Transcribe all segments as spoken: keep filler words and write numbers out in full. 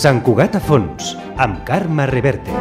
Sant Cugat a fons, amb Carme Reverte.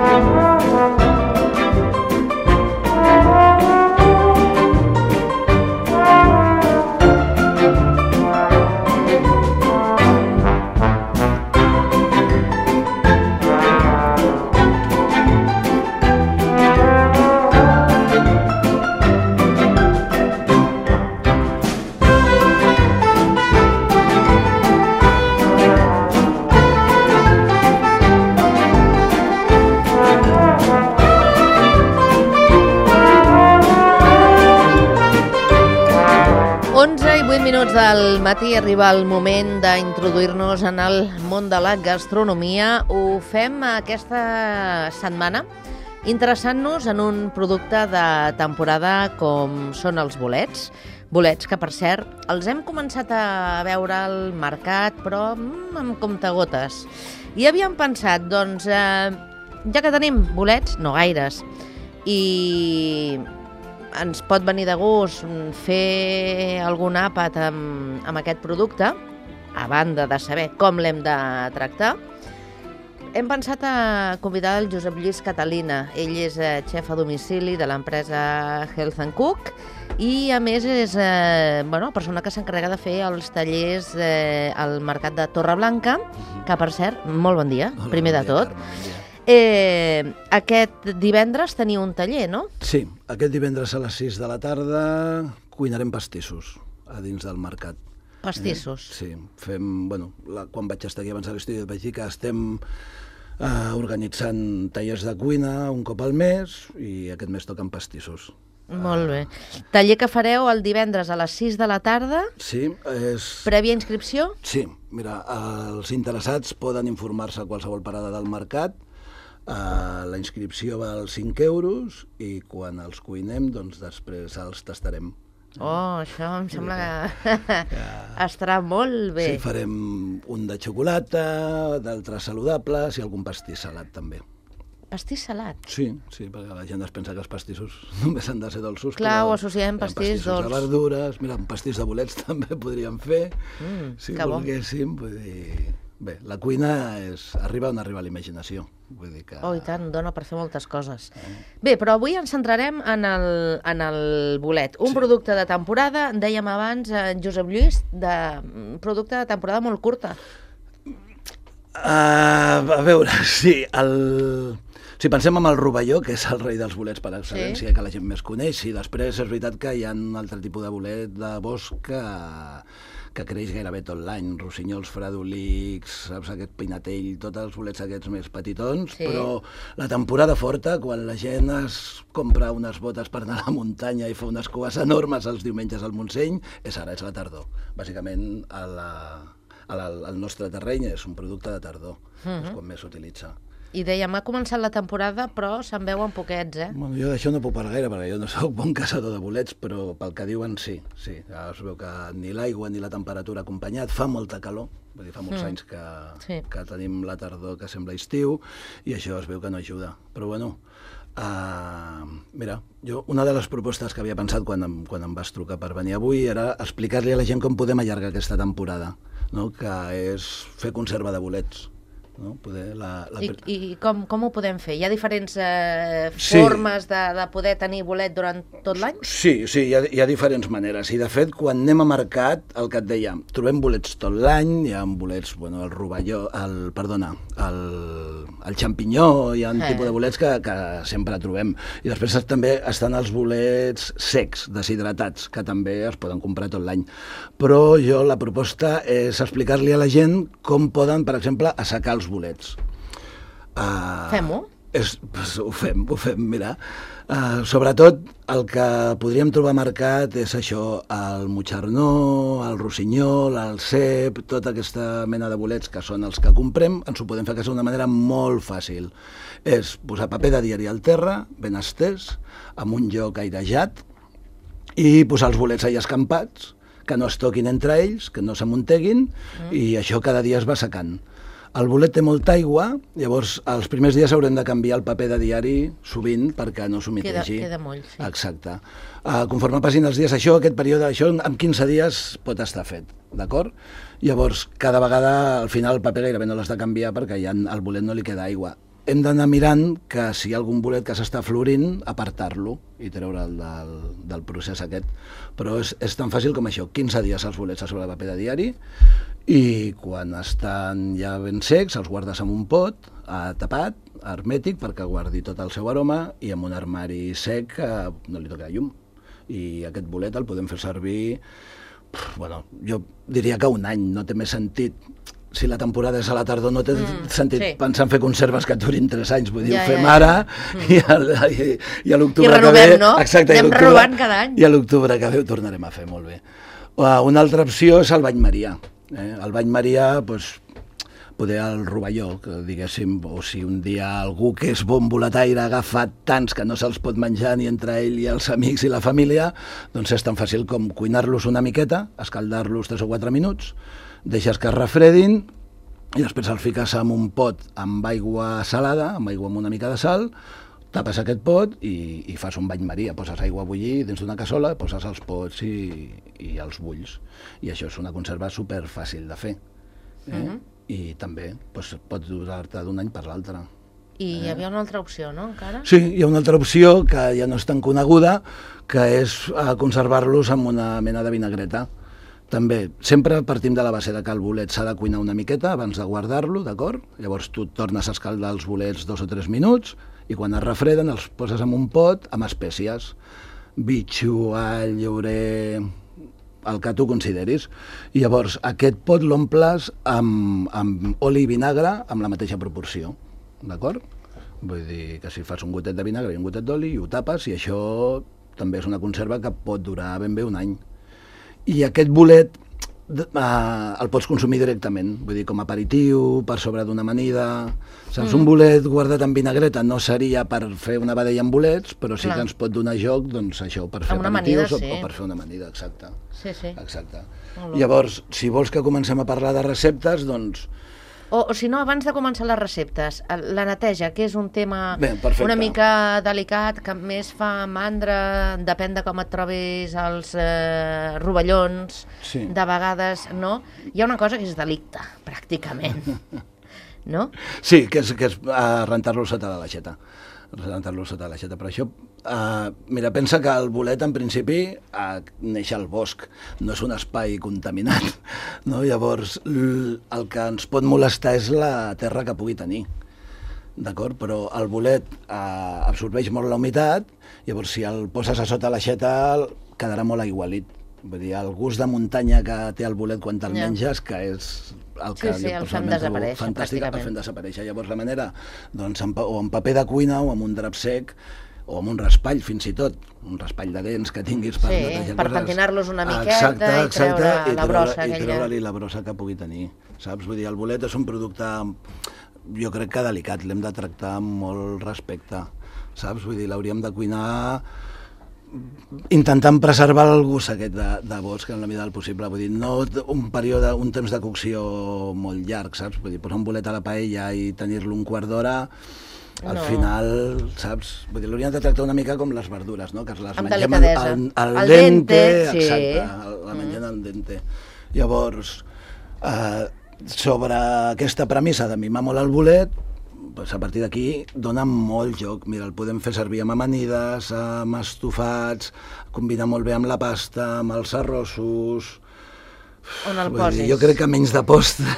Minuts del matí arriba el moment d'introduir-nos en el món de la gastronomia. Ho fem aquesta setmana interessant-nos en un producte de temporada com són els bolets. Bolets que, per cert, els hem començat a veure al mercat, però mm, amb comptagotes. I havíem pensat, doncs, eh, ja que tenim bolets, no gaires, i ens pot venir de gust fer algun àpat amb, amb aquest producte, a banda de saber com l'hem de tractar, hem pensat a convidar el Josep Lluís Catalina. Ell és xef a domicili de l'empresa Health and Cook i, a més, és eh, bueno, persona que s'encarrega de fer els tallers eh, al mercat de Torreblanca, que, per cert, molt bon dia, Hola, primer bon de dia, tot. Carme, bon dia. Eh, aquest divendres teniu un taller, no? Sí, aquest divendres a les sis de la tarda cuinarem pastissos a dins del mercat. Pastissos. Eh? Sí, fem, bueno, la, quan vaig estar aquí abans a l'estudi vaig dir que estem eh, organitzant tallers de cuina un cop al mes i aquest mes toquen pastissos. Molt bé. Taller que fareu el divendres a les sis de la tarda? Sí, és... Prèvia inscripció? Sí, mira, els interessats poden informar-se a qualsevol parada del mercat. Uh, la inscripció val cinc euros i quan els cuinem, doncs després els tastarem. Oh, això em sembla que, que estarà molt bé. Sí, farem un de xocolata, d'altres saludables i algun pastís salat també. Pastís salat? Sí, sí, perquè la gent es pensa que els pastissos només han de ser dolços. Clar, però ho associem pastís pastissos dolç. de verdures, mira, un pastís de bolets també podríem fer, Mm, si que bo. volguéssim, vull dir... Bé, la cuina és... arriba on arriba la imaginació. Vull dir que... Oh, i tant, dona per fer moltes coses. Bé, però avui ens centrarem en el, en el bolet. Un Sí. producte de temporada, dèiem abans, en Josep Lluís, de un producte de temporada molt curta. Uh, a veure, sí, el... Si pensem en el rovelló, que és el rei dels bolets per excel·lència, Sí. que la gent més coneix, i després és veritat que hi ha un altre tipus de bolet de bosc que, que creix gairebé tot l'any, rossinyols, fredolics, saps, aquest pinatell, tots els bolets aquests més petitons, Sí. però la temporada forta, quan la gent es compra unes botes per anar a la muntanya i fa unes cues enormes els diumenges al Montseny, és ara, és la tardor. Bàsicament, a la, a la, al nostre terreny és un producte de tardor, Mhm. és quan més s'utilitza. I dèiem, ha començat la temporada, però se'n veuen poquets, eh? Bueno, jo d'això no puc parlar gaire, perquè jo no sóc bon caçador de bolets, però pel que diuen sí, sí. Ja es veu que ni l'aigua ni la temperatura ha acompanyat, fa molta calor, vull dir, fa molts Mm. anys que, Sí. que tenim la tardor que sembla estiu, i això es veu que no ajuda. Però bueno, uh, mira, jo una de les propostes que havia pensat quan em, quan em vas trucar per venir avui era explicar-li a la gent com podem allargar aquesta temporada, no? Que és fer conserva de bolets. No? Poder la, la... I, i com, com ho podem fer? Hi ha diferents eh, Sí. formes de, de poder tenir bolet durant tot l'any? Sí, sí, hi ha, hi ha diferents maneres. I, de fet, quan anem a mercat, el que et deia, trobem bolets tot l'any, hi ha bolets, bueno, el rovelló, el, perdona, el, el xampinyó, hi ha un Eh. tipus de bolets que, que sempre trobem. I després també estan els bolets secs, deshidratats, que també es poden comprar tot l'any. Però jo la proposta és explicar-li a la gent com poden, per exemple, assecar els bolets. Uh, Fem-ho? És, pues, ho fem, ho fem, mira. Uh, sobretot el que podríem trobar a mercat és això, el motxarnó, el rossinyol, el cep, tota aquesta mena de bolets que són els que comprem, ens ho podem fer a casa d'una manera molt fàcil. És posar paper de diari al terra, ben estès, amb un lloc airejat, i posar els bolets allà escampats, que no es toquin entre ells, que no s'amunteguin, mm. i això cada dia es va secant. El bolet té molta aigua, llavors els primers dies haurem de canviar el paper de diari sovint perquè no s'humitegi. Queda, queda moll, sí. Exacte. Uh, conforme passin els dies, això, aquest període, això en quinze dies pot estar fet, d'acord? Llavors, cada vegada, al final, el paper gairebé no l'has de canviar perquè ja al bolet no li queda aigua. Hem d'anar mirant que si hi ha algun bolet que s'està florint, apartar-lo i treure'l del, del procés aquest. Però és, és tan fàcil com això, quinze dies els bolets a sobre el paper de diari i quan estan ja ben secs els guardes en un pot eh, tapat, hermètic, perquè guardi tot el seu aroma i en un armari sec que no li toca llum. I aquest bolet el podem fer servir, bueno, jo diria que un any, no té més sentit. Si la temporada és a la tardor no té mm, sentit sí. pensar en fer conserves que durin tres anys, vull dir, ja, ho fem ja, ja. ara mm. i, el, i, i a l'octubre que ve... no? Exacte, anem renovant cada any. I a l'octubre que ve ho tornarem a fer, molt bé. Uh, una altra opció és el bany Maria. Eh? El bany Maria, doncs, poder el rovelló, que diguéssim, o si un dia algú que és bon boletaire ha agafat tants que no se'ls pot menjar ni entre ell i els amics i la família, doncs és tan fàcil com cuinar-los una miqueta, escaldar-los tres o quatre minuts, deixes que es refredin i després el fiques en un pot amb aigua salada, amb aigua amb una mica de sal, tapes aquest pot i, i fas un bany Maria, poses aigua a bullir dins d'una cassola, poses els pots i, i els bulls. I això és una conserva super fàcil de fer. Eh? Uh-huh. I també doncs, pot durar-te d'un any per l'altre. I hi havia una altra opció, no, encara? Sí, hi ha una altra opció que ja no és tan coneguda, que és conservar-los amb una mena de vinagreta. També, sempre partim de la base de que el bolet s'ha de cuinar una miqueta abans de guardar-lo, d'acord? Llavors tu tornes a escaldar els bolets dos o tres minuts i quan es refreden els poses en un pot amb espècies, bitxo, all, llaurer, el que tu consideris. I llavors aquest pot l'omples amb, amb oli i vinagre amb la mateixa proporció, d'acord? Vull dir que si fas un gotet de vinagre i un gotet d'oli i ho tapes i això també és una conserva que pot durar ben bé un any. I aquest bolet eh, el pots consumir directament, vull dir, com a aperitiu, per sobre d'una amanida. Saps, mm. un bolet guardat en vinagreta no seria per fer una vedella amb bolets, però sí Clar. que ens pot donar joc, doncs això, per fer aperitius amanida, sí. o, o per fer una amanida, exacte. Sí, sí. Exacte. Llavors, si vols que comencem a parlar de receptes, doncs... O, o si no, abans de començar les receptes, la neteja, que és un tema Bé, una mica delicat, que més fa mandra, depèn de com et trobis els eh, rovellons, sí. de vegades, no? Hi ha una cosa que és delicte, pràcticament, no? Sí, que és, que és uh, rentar-lo sota de l'aixeta. rentar-lo sota l'aixeta. Però això, uh, mira, pensa que el bolet en principi uh, neix al bosc, no és un espai contaminat, no? Llavors el que ens pot molestar és la terra que pugui tenir, d'acord? Però el bolet uh, absorbeix molt la humitat, llavors si el poses a sota l'aixeta quedarà molt aigualit. Vull dir, el gust de muntanya que té el bolet quan te'l yeah. menges, que és el que sí, sí, jo el fem desaparèixer, fantàstic, el fem desaparèixer. Llavors la manera, doncs, en, o en paper de cuina o amb un drap sec o amb un raspall, fins i tot, un raspall de dents que tinguis per sí, netejar per coses. pentinar-los una miqueta exacte, i treure exacte, la brossa. I treure-li la brossa que pugui tenir, saps? Vull dir, el bolet és un producte, jo crec que delicat, l'hem de tractar amb molt respecte, saps? Vull dir, l'hauríem de cuinar intentant preservar el gust aquest de, de bosc en la mida del possible, vull dir, no un període, un temps de cocció molt llarg, saps? Vull dir, posar un bolet a la paella i tenir-lo un quart d'hora, al no. final, saps? Vull dir, l'hauríem de tractar una mica com les verdures, no? Que les amb mengem delicadesa. al, al, al dente, dente sí. exacte, la mengem mm. al dente. Llavors, eh, sobre aquesta premissa de mimar molt el bolet, pues a partir d'aquí dona molt joc. Mira, el podem fer servir amb amanides, amb estofats, combinar molt bé amb la pasta, amb els arrossos. On el Vull posis? dir, jo crec que menys de postre.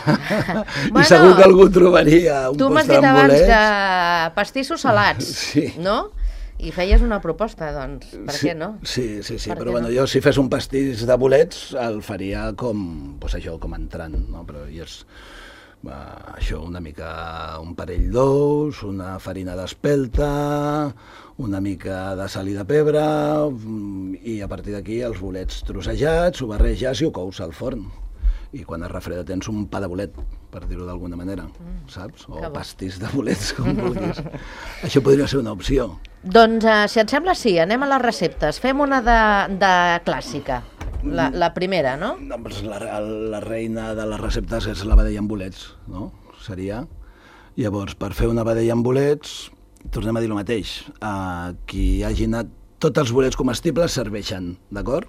Bueno, I segur que algú trobaria un tu m'has postre dit amb abans bolets. de pastissos salats, sí. no? I feies una proposta, doncs, per sí, què no? Sí, sí, sí, per però bueno, no? jo si fes un pastís de bolets el faria com, pues això, com entrant, no? Però i és... Va, això, una mica, un parell d'ous, una farina d'espelta, una mica de sal i de pebre, i a partir d'aquí els bolets trossejats, ho barreges i ho cous al forn. I quan es refreda tens un pa de bolet, per dir-ho d'alguna manera, mm, saps? O pastís de bolets, com vulguis. Això podria ser una opció. Doncs, uh, si et sembla, sí, anem a les receptes. Fem una de, de clàssica. La, la primera, no? La, la reina de les receptes és la vedella amb bolets, no? seria. Llavors, per fer una vedella amb bolets, tornem a dir el mateix. Uh, qui hagi anat, tots els bolets comestibles serveixen, d'acord?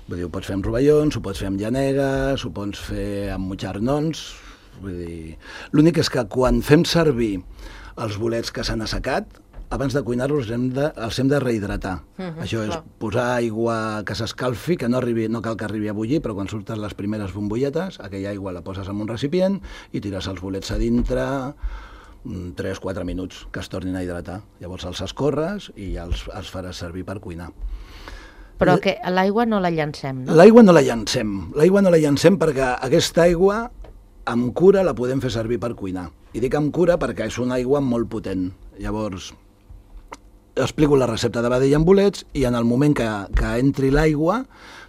Vull dir, ho pots fer amb rovellons, ho pots fer amb llanegues, ho pots fer amb mutxarnons. Vull dir, l'únic és que quan fem servir els bolets que s'han assecat, abans de cuinar-los hem de, els hem de rehidratar. Uh-huh, Això és clar. Posar aigua que s'escalfi, que no, arribi, no cal que arribi a bullir, però quan surten les primeres bombolletes, aquella aigua la poses en un recipient i tires els bolets a dintre tres quatre minuts, que es tornin a hidratar. Llavors els escorres i ja els, els faràs servir per cuinar. Però que l'aigua no la llancem, no? L'aigua no la llancem. L'aigua no la llancem perquè aquesta aigua, amb cura, la podem fer servir per cuinar. I dic amb cura perquè és una aigua molt potent. Llavors, explico la recepta de vedella amb bolets i en el moment que, que entri l'aigua,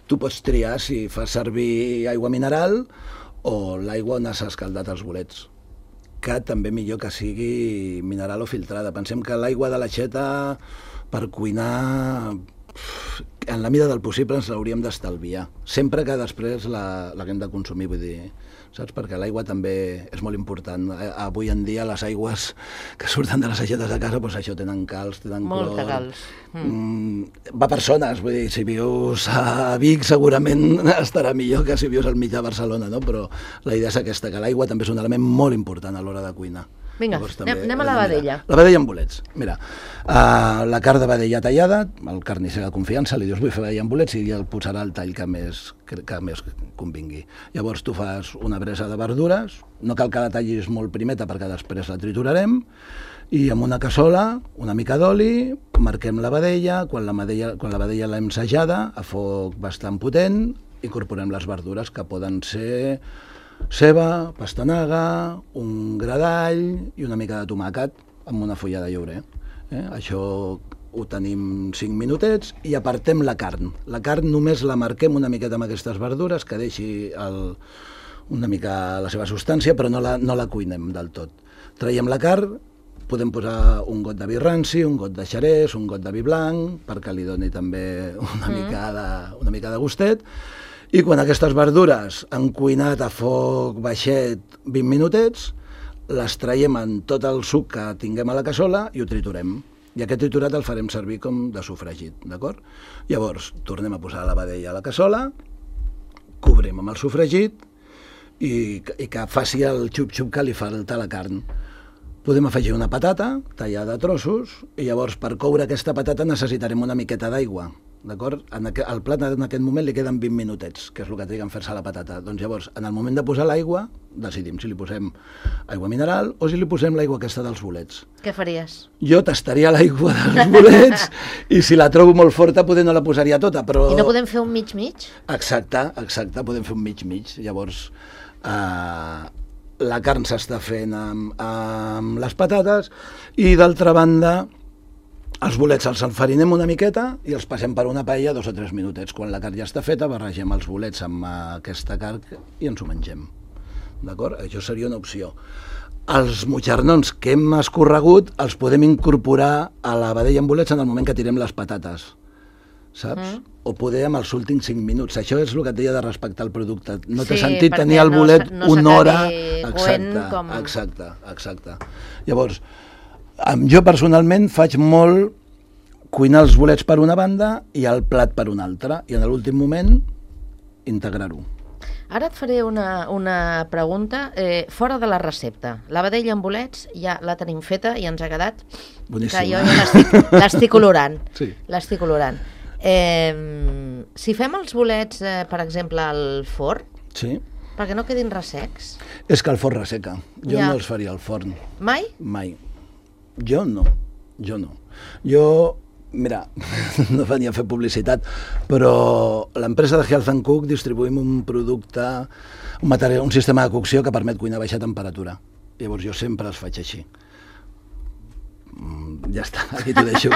tu pots triar si fas servir aigua mineral o l'aigua on has escaldat els bolets, que també millor que sigui mineral o filtrada. Pensem que l'aigua de l'aixeta per cuinar, en la mida del possible, ens l'hauríem d'estalviar. Sempre que després la, la hem de consumir, vull dir, saps? Perquè l'aigua també és molt important. Avui en dia les aigües que surten de les aixetes de casa, doncs això, tenen calç, tenen clor. Molt de calç. Mm. Va per zones, vull dir, si vius a Vic segurament estarà millor que si vius al mig de Barcelona, no? Però la idea és aquesta, que l'aigua també és un element molt important a l'hora de cuinar. Vinga, Llavors, anem, anem a la vedella. La vedella amb bolets. Mira, uh, la carn de vedella tallada, el carnisser de confiança, li dius vull fer vedella amb bolets i el posarà el tall que més, que, que més convingui. Llavors tu fas una bresa de verdures, no cal que la tallis molt primeta perquè després la triturarem, i amb una cassola, una mica d'oli, marquem la vedella, quan la vedella, quan la vedella l'hem sajada, a foc bastant potent, incorporem les verdures que poden ser ceba, pastanaga, un gra d'all i una mica de tomàquet amb una fulla de llaurer. Eh? Això ho tenim cinc minutets i apartem la carn. La carn només la marquem una miqueta amb aquestes verdures, que deixi el, una mica la seva substància, però no la, no la cuinem del tot. Traiem la carn, podem posar un got de vi ranci, un got de xerès, un got de vi blanc, perquè li doni també una, mm. mica, de, una mica de gustet. I quan aquestes verdures han cuinat a foc baixet vint minutets, les traiem en tot el suc que tinguem a la cassola i ho triturem. I aquest triturat el farem servir com de sofregit, d'acord? Llavors, tornem a posar la vedella a la cassola, cobrim amb el sofregit i, i que faci el xup-xup que li falta a la carn. Podem afegir una patata tallada a trossos i llavors per coure aquesta patata necessitarem una miqueta d'aigua. D'acord? Al plat en aquest moment li queden vint minutets, que és el que triga en fer-se la patata. Doncs llavors, en el moment de posar l'aigua, decidim si li posem aigua mineral o si li posem l'aigua aquesta dels bolets. Què faries? Jo tastaria l'aigua dels bolets i si la trobo molt forta poder no la posaria tota, però... I no podem fer un mig-mig? Exacte, exacte, podem fer un mig-mig. Llavors, eh, la carn s'està fent amb, amb les patates i d'altra banda els bolets els enfarinem una miqueta i els passem per una paella dos o tres minutets. Quan la carn ja està feta, barregem els bolets amb aquesta carn i ens ho mengem. D'acord? Això seria una opció. Els mutxarnons que hem escorregut els podem incorporar a la vedella amb bolets en el moment que tirem les patates, saps? Mm. O poder amb els últims cinc minuts. Això és el que et deia de respectar el producte. No té sí, sentit tenir el bolet no, no una hora... Exacte, com... exacte, exacte. Llavors, jo personalment faig molt cuinar els bolets per una banda i el plat per una altra, i en l'últim moment integrar-ho. Ara et faré una, una pregunta eh, fora de la recepta. La vedella amb bolets ja la tenim feta i ens ha quedat... Boníssima. Que jo ja l'estic olorant. Sí. L'estic olorant. Eh, si fem els bolets, eh, per exemple, al forn, sí. perquè no quedin ressecs... És que el forn resseca. Jo ja. no els faria al forn. Mai? Mai. Jo no. Jo no. Jo... Mira, no venia a fer publicitat, però l'empresa de Health and Cook distribuïm un producte, un, material, un sistema de cocció que permet cuinar a baixa temperatura. Llavors jo sempre els faig així. Mm, ja està, aquí t'ho deixo.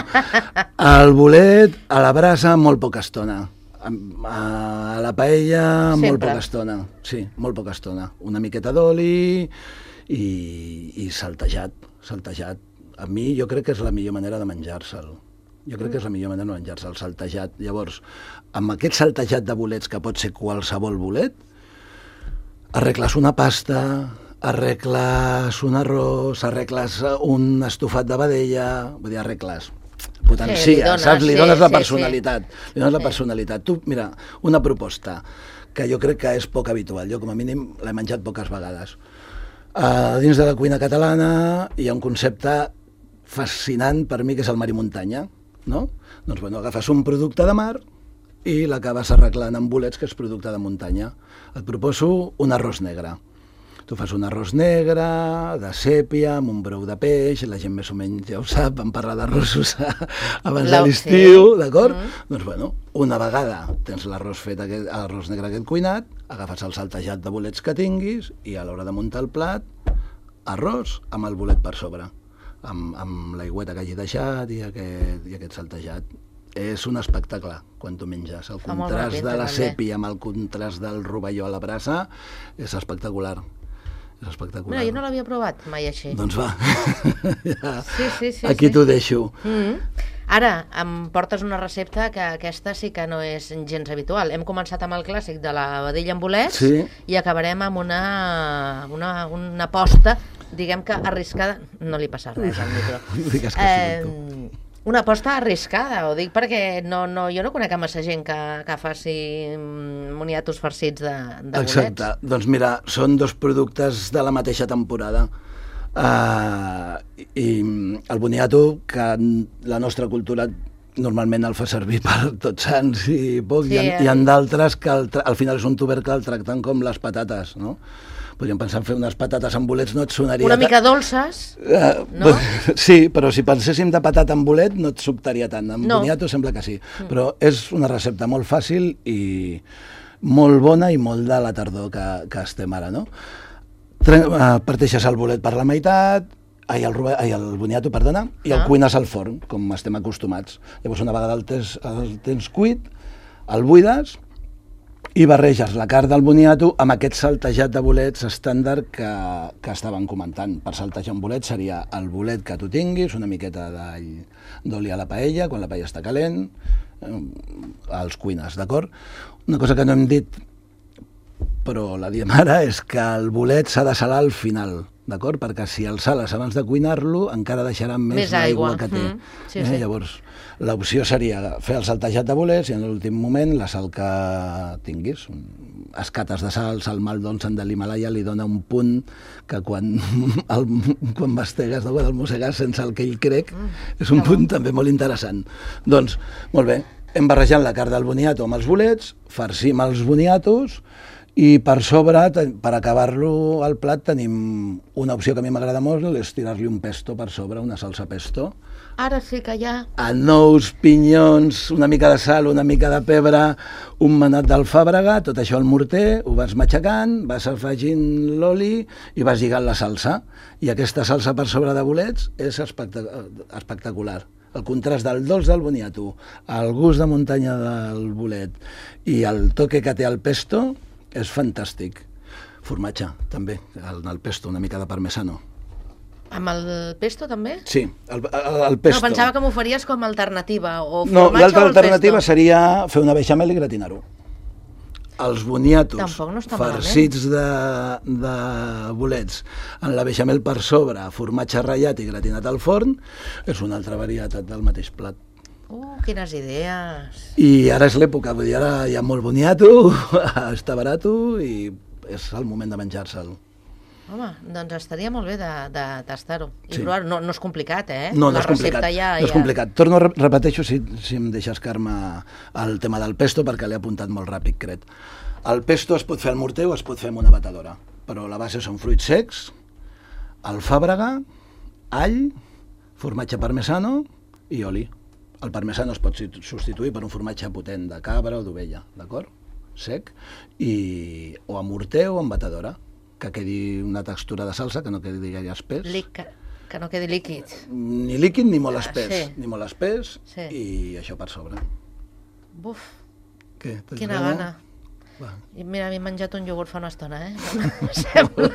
El bolet a la brasa molt poca estona. A la paella sempre. Molt poca estona. Sí, molt poca estona. Una miqueta d'oli i, i saltejat, saltejat. A mi jo crec que és la millor manera de menjar-se'l. Jo crec que és la millor manera de menjar-se, el saltejat. Llavors, amb aquest saltejat de bolets, que pot ser qualsevol bolet, arregles una pasta, arregles un arròs, arregles un estofat de vedella, vull dir, arregles, potencia, sí, li dones, saps? Li sí, dones la sí, personalitat, sí. li dones la Sí. personalitat. Tu, mira, una proposta que jo crec que és poc habitual, jo com a mínim l'he menjat poques vegades. Uh, dins de la cuina catalana hi ha un concepte fascinant per mi, que és el mar i muntanya, no? Doncs, bueno, agafes un producte de mar i l'acabes arreglant amb bolets, que és producte de muntanya. Et proposo un arròs negre. Tu fas un arròs negre, de sèpia, amb un brou de peix, la gent més o menys ja ho sap, vam parlar d'arrossos abans de l'estiu, d'acord? Mm. Doncs, bueno, una vegada tens l'arròs fet, aquest, l'arròs negre aquest cuinat, agafes el saltejat de bolets que tinguis i a l'hora de muntar el plat, arròs amb el bolet per sobre, amb, amb l'aigüeta que hagi deixat i aquest, i aquest saltejat. És un espectacle quan tu menges. El Fa molt contrast bona pinta, de la també. sèpia amb el contrast del rovelló a la brasa és espectacular. És espectacular. Mira, jo no l'havia provat mai així. Doncs va, ja, Sí, sí, sí, aquí sí. t'ho deixo. Mm. Ara, em portes una recepta que aquesta sí que no és gens habitual. Hem començat amb el clàssic de la vedella amb bolets Sí. i acabarem amb una, una, una aposta, diguem que arriscada... No li passa res al micro. Digues que sí, tu. Una aposta arriscada, ho dic perquè no, no, jo no conec a massa gent que, que faci mm, moniatos farcits de, de bolets. Exacte. Doncs mira, són dos productes de la mateixa temporada. Uh, I el boniato, que la nostra cultura normalment el fa servir per tots sants i poc, Sí, hi ha, eh? hi ha d'altres que el, tra- al final és un tubercle, el tracten com les patates, no? Podríem pensar en fer unes patates amb bolets, no et sonaria... Una ta- mica dolces, Uh, no? Sí, però si penséssim de patata amb bolet no et sobtaria tant. Amb No. boniato sembla que sí. Mm. Però és una recepta molt fàcil i molt bona i molt de la tardor que, que estem ara, no? Tre uh, parteixes el bolet per la meitat, ai, el, ai, el boniato, perdona, i el Ah. cuines al forn, com estem acostumats. Llavors, una vegada el tens, el tens cuit, el buides i barreges la carn del boniato amb aquest saltejat de bolets estàndard que, que estaven comentant. Per saltejar un bolet seria el bolet que tu tinguis, una miqueta d'all d'oli a la paella, quan la paella està calent, eh, els cuines, d'acord? Una cosa que no hem dit, però la diem ara, és que el bolet s'ha de salar al final, d'acord? Perquè si el sales abans de cuinar-lo encara deixarà més, Més aigua. l'aigua que té. Mm, sí, eh? sí. Llavors, l'opció seria fer el saltejat de bolets i en l'últim moment la sal que tinguis. Escates de sal, sal mal dolça de l'Himalaya li dona un punt que quan, el, quan mastegues no, el mossegues sense el que ell crec, Mm, és un punt també molt interessant. Doncs, molt bé, hem barrejat la carn del boniato amb els bolets, farcim els boniatos i per sobre, ten- per acabar-lo al plat, tenim una opció que a mi m'agrada molt, és tirar-li un pesto per sobre, una salsa pesto, Ara sí que ja... anous, pinyons, una mica de sal, una mica de pebre, un manat d'alfàbrega, tot això al morter, ho vas matxacant, vas afegint l'oli i vas lligant la salsa. I aquesta salsa per sobre de bolets és espectac espectacular. El contrast del dolç del boniato, el gust de muntanya del bolet i el toque que té el pesto és fantàstic. Formatge, també, el, el pesto, una mica de parmesano. Amb el pesto, també? Sí, el, el, el pesto. No, pensava que m'ho faries com a alternativa. O No, formatge l'altra o el alternativa pesto? seria fer una beixamel i gratinar-ho. Els boniatos Tampoc no està farcits de, de bolets en la beixamel per sobre, formatge ratllat i gratinat al forn, és una altra varietat del mateix plat. Uh, quines idees. I ara és l'època, vull dir, ara hi ha molt boniato, està barato i és el moment de menjar-se'l. Home, doncs estaria molt bé de, de tastar-ho. I Sí. provar-ho. No, no és complicat, eh? No, no La és complicat, recepta ja, no és ja... complicat. Torno, a re- repeteixo, si, si em deixes, Carme, el tema del pesto, perquè l'he apuntat molt ràpid, crec. El pesto es pot fer al morter o es pot fer amb una batedora, però la base són fruits secs, alfàbrega, all, formatge parmesano i oli. El parmesano es pot substituir per un formatge potent de cabra o d'ovella, d'acord? Sec, i, o amb morter o amb batedora, que quedi una textura de salsa, que no quedi gaire espès. Lic, que, que no quedi líquid. Ni líquid ni molt Ah, espès, sí. ni molt espès, Sí. i això per sobre. Buf, Què? Tens quina gana. Va. I mira, m'he menjat un iogurt fa una estona, eh? Em sembla.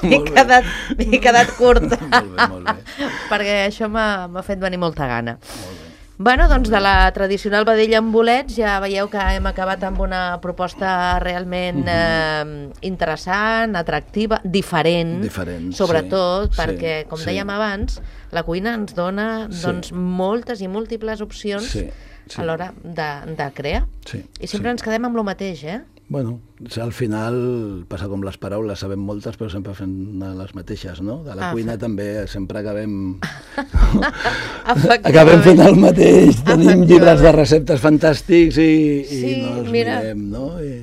M'he Molt bé. quedat, m'he quedat curta. Molt bé, molt bé. Perquè això m'ha m'ha fet venir molta gana. Molt bé. Bueno, doncs de la tradicional vedella amb bolets ja veieu que hem acabat amb una proposta realment eh, interessant, atractiva, diferent, Diferent, sobretot sí, perquè, sí, com sí. dèiem abans, la cuina ens dona Sí. doncs, moltes i múltiples opcions Sí, sí. a l'hora de, de crear. Sí, I sempre sí. ens quedem amb el mateix, eh? Bueno, al final passa com les paraules, sabem moltes però sempre fem les mateixes, no? De la Ah, cuina fa- també sempre acabem... Efectivament. acabem fent el mateix, tenim Efectivament. llibres de receptes fantàstics i, i Sí, no els mira. mirem, no? I...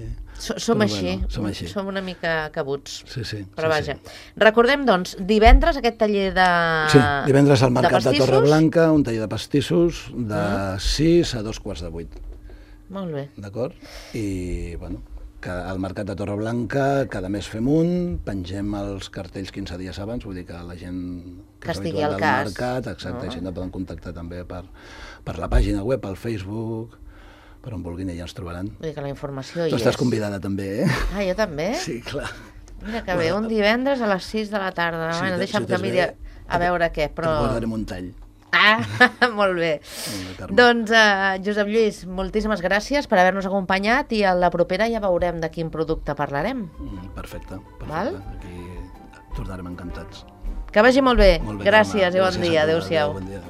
So- Som Però així, bueno, som així. som una mica cabuts. Sí, sí. Però sí, vaja, sí. recordem, doncs, divendres aquest taller de... Sí, divendres al Mercat de, pastissos? Torreblanca, un taller de pastissos de sis a dos quarts de vuit, Molt bé. d'acord? I, bueno, que al Mercat de Torreblanca cada mes fem un, pengem els cartells quinze dies abans, vull dir que la gent Que és estigui habitual al del cas. mercat, exacte, No? i si no poden contactar també per, per la pàgina web, al Facebook, per on vulguin i ja ens trobaran. Vull dir que la informació Tu hi estàs és. convidada també, eh? Ah, jo també? Sí, clar. Mira que bé, un divendres a les sis de la tarda. Si bueno, te- deixa'm si que t'has miri a, bé, a veure què, Et però... guardarem un tall. Ah, molt bé. Molt bé, Carme. Doncs, uh, Josep Lluís, moltíssimes gràcies per haver-nos acompanyat i a la propera ja veurem de quin producte parlarem. Mm, Perfecte, perfecte. Val? Aquí tornarem encantats. Que vagi molt bé. Molt bé, Gràcies Carme. i bon Gràcies a dia. tu. Adéu-siau. Bon dia.